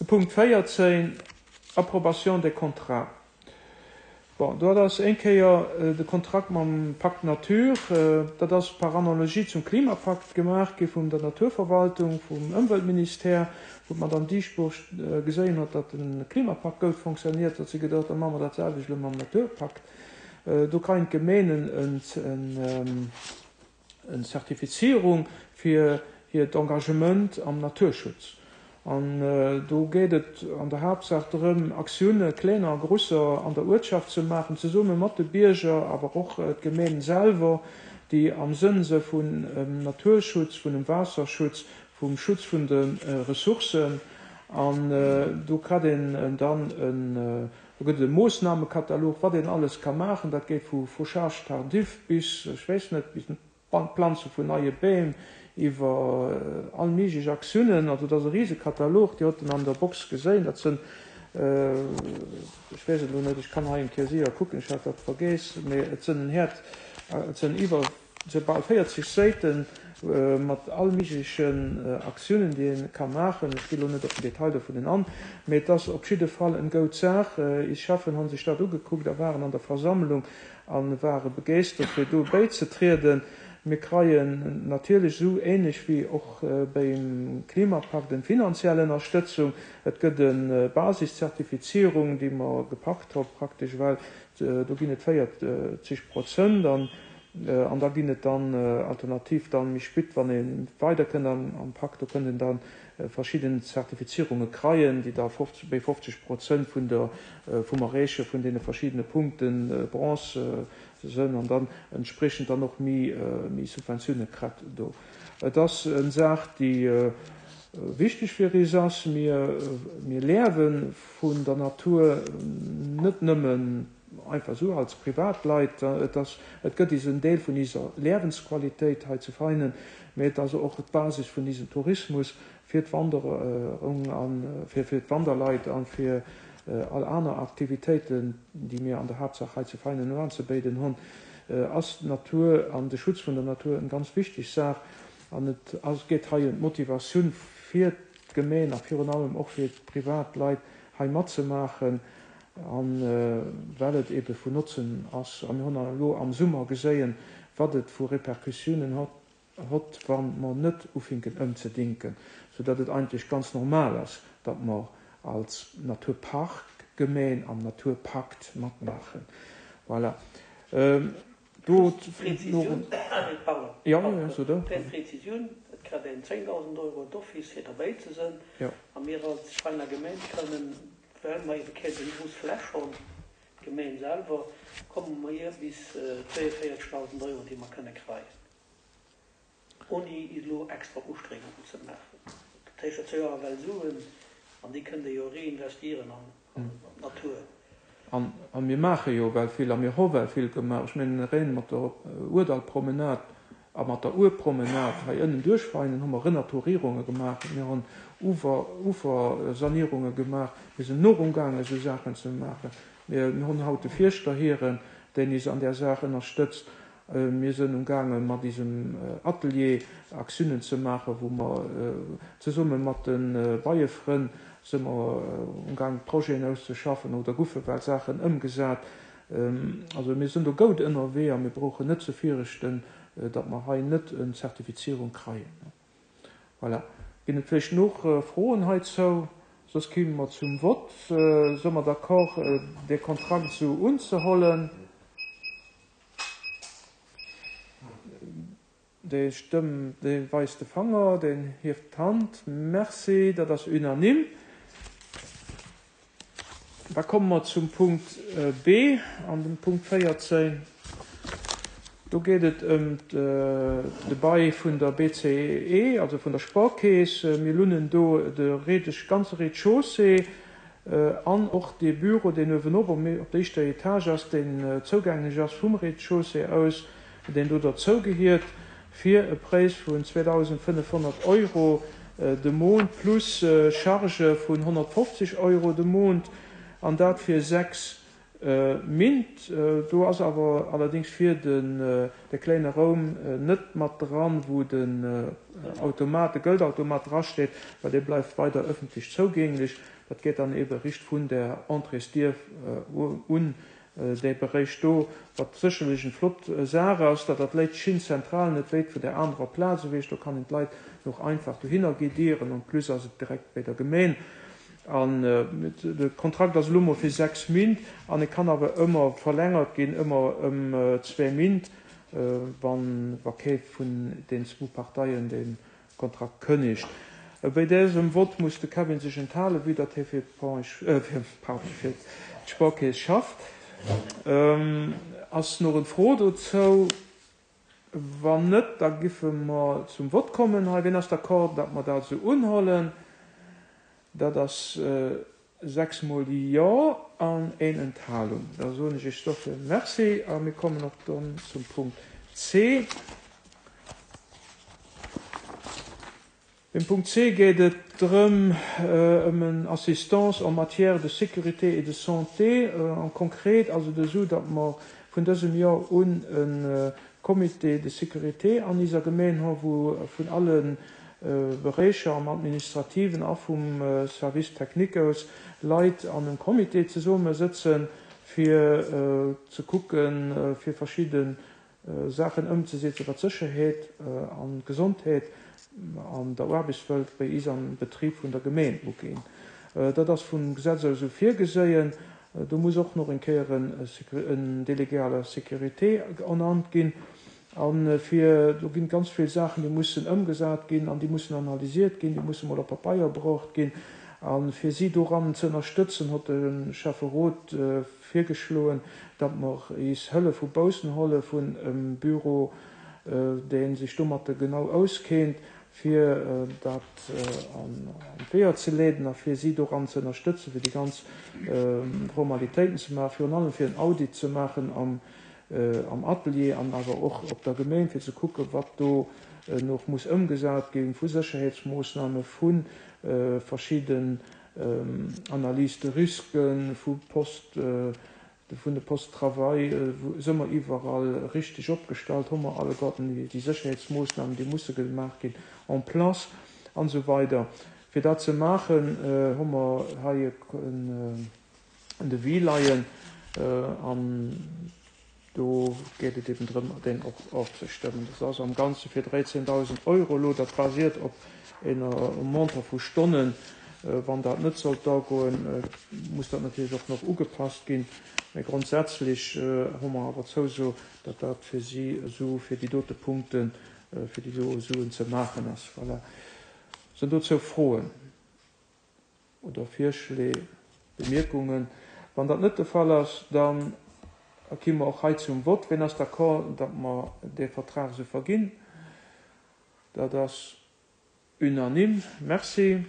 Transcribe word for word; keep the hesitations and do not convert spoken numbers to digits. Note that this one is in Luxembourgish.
Punkt véierzéng, Approbation des contrats. Bon, do ass eng Kéier de Kontrakt mam Pacte Nature, dat ass par analogie zum Klimapakt gemaach gi vun der Naturverwaltung, vum Ëmweltministère, wou d'Madame Dieschbourg geséien huet, datt de Klimapakt goud fonctionniert, huet si geduecht, da maache mer dat selwecht elo mam Naturpakt. Do kréien d'Gemeenen en Zertifizierung fir hiert Engagement am Naturschutz. An do geet et an der Haaptsaach drëm, Aktioune, klenger a grosser, an der Uertschaft ze maachen, zesumme mat de Bierger, awer och d'Gemeen selwer, déi am Sënn se vun Naturschutz, vun dem Waasserschutz, vum Schutz vun de Ressourcen. An do kritt een dann en, do gëtt et e Moossnamekatalog, wat een alles ka maachen. Dat geet vu Fauchage tardif bis, ech weess net, bis Planze vun neie Beem, iwwer all méiglech Aktiounen. Also dat ass e Risekatalog, Dir hutt en an der Box geséin. Dat sënn, ech weess et elo net, ech kann hei eng Kéier séier kucken, ech hat dat vergeess, mee et sënn en Häert, et sënn iwwer, et sënn bal véierzeg Säite mat all méiglechen Aktiounen, déi ee ka maachen. Ech gi elo net op den Detail dovunnen an, mee et ass op jidde Fall en goud Saach. Is Cheffen hu sech dat ugekuckt a waren an der Versammlung a ware begeeschtert, fir do bäizetrieden. Mir kreien natierlech esou ähnlech wéi och beim Klimapakt en finanziell Ënnerstëtzung. Et gëtt e Basiszertifizierung, déi mer gepackt hu praktesch, well do ginn et véierzeg Prozent an an da ginn et dann alternativ dann méi spit, wann ee weider kënnt am Pakt, do kënnt een dann verschidden Zertifizierunge kreien, déi da béi fofzeg Prozent vun der vum Erreeche vun deene verschiddene Punkten, Bronze, sënn an dann entspriechend dann och méi méi Subventioune kritt do. Et ass en Saach, déi wichteg fir is ass. Mir mir liewe vun der Natur, net nëmmen einfach esou als Privatleit. Et ass et gëtt is en Deel vun iser Liewensqualitéit hei zu Veinen, mee et ass och d'Basis vun isem Tourismus fir d'Wanderung an fir fir d'Wanderleit an fir all aner Aktivitéiten, déi mir an der Haaptsaach hei zu Veinen unzebéiden hunn, ass d'Natur an de Schutz vun der Natur eng ganz wichteg Saach. An et ass, geet hei ëm d'Motivatioun fir d'Gemeen a virun allem och fir d'Privatleit, hei matzemaachen, a well et ebe vun Notzen ass. A mir hunn elo am Summer geséien, wat et vu Repercussiounen hott, hott, wa mer net ufinken ëmzedinken, soudatt et eigentlech ganz normal ass, datt mer als Naturparkgemeen am Naturpakt matmaachen. Voilà. Do Präzisioun, pardon, Ja, ja, so da. Präzisioun, et kritt een zéngdausend Euro d'office fir derbäi ze sinn. Ja. A mir als Veiner Gemeng kënnen, well mer ebe keng esou grouss Fläch hunn, d'Gemeng selwer, komme mer hier bis zwéienvéierzegdausend Euro, déi mer kënne kréien, ouni elo extra Ustrengungen ze maachen. Dat heescht, dat si jo ewell Suen, an déi kënnt ee jo reinvestieren an d'Natur. An a mir maache jo well vill a mir hu well vill gemaach. Ech mengen, reng mat der Ourdallpromenade a mat der Ourpromenade hei ënnen duerch Veinen hu mer Renaturierunge gemaach, mir hunn Ufer Ufersanierunge gemaach, mir sinn och umgaangen, esou Saachen ze maachen. Mir mir hunn haut de Fierschter hiren, deen is an där Saach ënnerstëtzt. Mir sinn umgaangen, mat isem Atelier Aktiounen ze maachen, wou mer zesumme mat de Beiefrënn si mer umgaangen, Projeten auszeschaffen oder goufe well Saachen ëmgesat. Also mir sinn do goud ënnerwee a mir brauchen net ze fürchten, datt mer hei net eng Zertifizierung kreien. Voilà. Ginn et vläicht nach Froen heizou? Soss komme mer zum Vott. Si mer d'accord, de Kontrakt esou unzehollen? Dee stëmmt, dee weist de Fanger, deen hieft d'Hand. Merci, dat ass unanime. Da komme mer zum Punkt B an dem Punkt véierzéng. Do geet et ëm de Bail vun der B C E, also vun der Sparkeess. Mir lunnen do de Rez, ganze Rez-de-chaussée an och dee Büro, deen uewenop op der éischter Etage ass, deen zougänglech ass vum Rez-de-chaussée aus, deen do derzou gehiert, fir e Präis vun zweedausendfënnefhonnert Euro de Mount plus Charge vun honnertfofzeg Euro de Mount, an dat fir sechs Mint. Do ass awer allerdings fir den de kléine Raum net mat dran, wou den Automat, de Geldautomat drasteet, well dee bleift weider ëffentlech zougänglech. Dat geet dann ebe richt vun der Entréesdier un, dee Beréich do, wat sécherlech eng flott Saach ass, datt dat léit schin zentral, net wéit vun der anerer Plaz ewech. Do kann een d'Leit och einfach dohinner guidieren, en plus ass et direkt bei der Gemeen. An de Kontrakt ass elo mol fir sechs Mint an e kann awer ëmmer verlängert ginn, ëmmer ëm zwee Mint, wann wa kee vun den zwou Parteien de Kontrakt kënnegt. Bei dësem Vott muss de Kevin sech enthalen, vue datt hie fir d'Pardon, fir d'Sparkeess schafft. Ass nach eng Fro dozou? Wann net, da giffe mer zum Vott kommen hei. Wien ass d'accord, datt mer dat esou unhuelen? Dat ass sechs mol Jo an een Enthalung. Da soen ech Iech dofir Merci a mir kommen och dann zum Punkt C. Beim Punkt C geet et drëm, ëm en Assistance en matière de sécurité et de santé. An konkret ass et esou, datt mer vun dësem Joer un e Comité de sécurité an iser Gemeen hu, wou vun alle Beréicher am Administrativen a vum Service technique aus Leit an engem Comité zesummesëtzen, fir ze kucken, fir verschidde Saachen ëmzesetzen, wat d'Sécherheet an d'Gesondheet an der Aarbechtswelt bei is am Betrib vun der Gemeen uginn. Dat ass vum Gesetz aus esou virgeséien. Do muss och nach eng Kéier en Délégué à la sécurité ernannt ginn. An fir, do ginn ganz vill Saachen, déi mussen ëmgesat ginn an déi mussen analysiert ginn, déi musse mol op Papeier bruecht ginn. A fir si doran ze ënnerstëtzen, huet de Schäfferot virgeschloen, datt mer is Hëllef vu baussen huele vun em Büro, dee sech domatter genau auskennt, fir dat an d'Weeër ze leeden a fir si doran ze ënnerstëtzen, fir déi ganz Formalitéiten ze maachen, virun allem fir en Audit ze maachen am am Atelier an awer och op der Gemeen, fir ze kucken, wat do nach muss ëmgesat ginn, vu Sécherheetsmoossname, vu verschidden Analyses de risques, vu Post, vun de Postes de travail, si mer iwwerall richteg opgestallt, hu mer alleguerten déi Sécherheetsmoossnamen, déi musse gemaach ginn, en place an esou weider. Fir dat ze maachen, hu mer hei en Devis leien an do geet et eben drëm, deen och ofzestëmmen. Dat ass am Ganze fir dräizéndausend Euro elo. Dat basiert op enger Montant vu Stonnen. Wann dat net sollt agoen, muss dat natierlech och nach ugepasst ginn. Mä grondsätzlech hu mer awer d'Zouso, datt dat fir si esou fir déi dote Punkten, fir déi do Suen ze maachen ass. Voilà. Sinn dozou Froen oder Virschléi, Bemierkungen? Wann dat net de Fall ass, da gi mer och hei zum Vott. Wien ass d'accord, datt mer dee Vertrag esou verginn? Dat ass unanime. Merci.